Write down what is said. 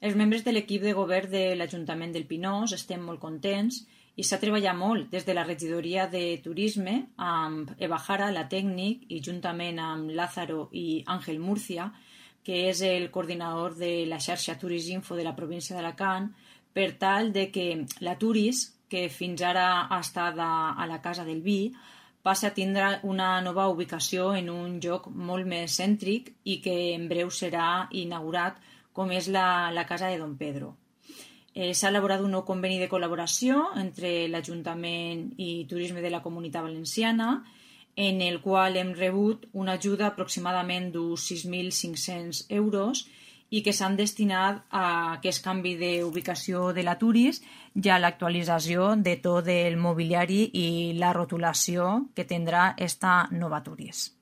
Els membres de l'equip de govern de l'Ajuntament del Pinós estem molt contents i s'ha treballat molt des de la regidoria de turisme amb Eva Jara, la tècnic, i juntament amb Lázaro i Àngel Murcia, que és el coordinador de la xarxa Turisinfo de la província d'Alacant, per tal de que la Turis, que fins ara ha estat a la Casa del Vi, passa a tindre una nova ubicació en un lloc molt més cèntric i que en breu serà inaugurat, com és la Casa de Don Pedro. S'ha elaborat un nou conveni de col·laboració entre l'Ajuntament i Turisme de la Comunitat Valenciana, en el qual hem rebut una ajuda aproximadament d'uns 6.500 euros i que s'han destinat a aquest canvi d'ubicació de la Turis i a l'actualització de tot el mobiliari i la rotulació que tindrà esta nova Turis.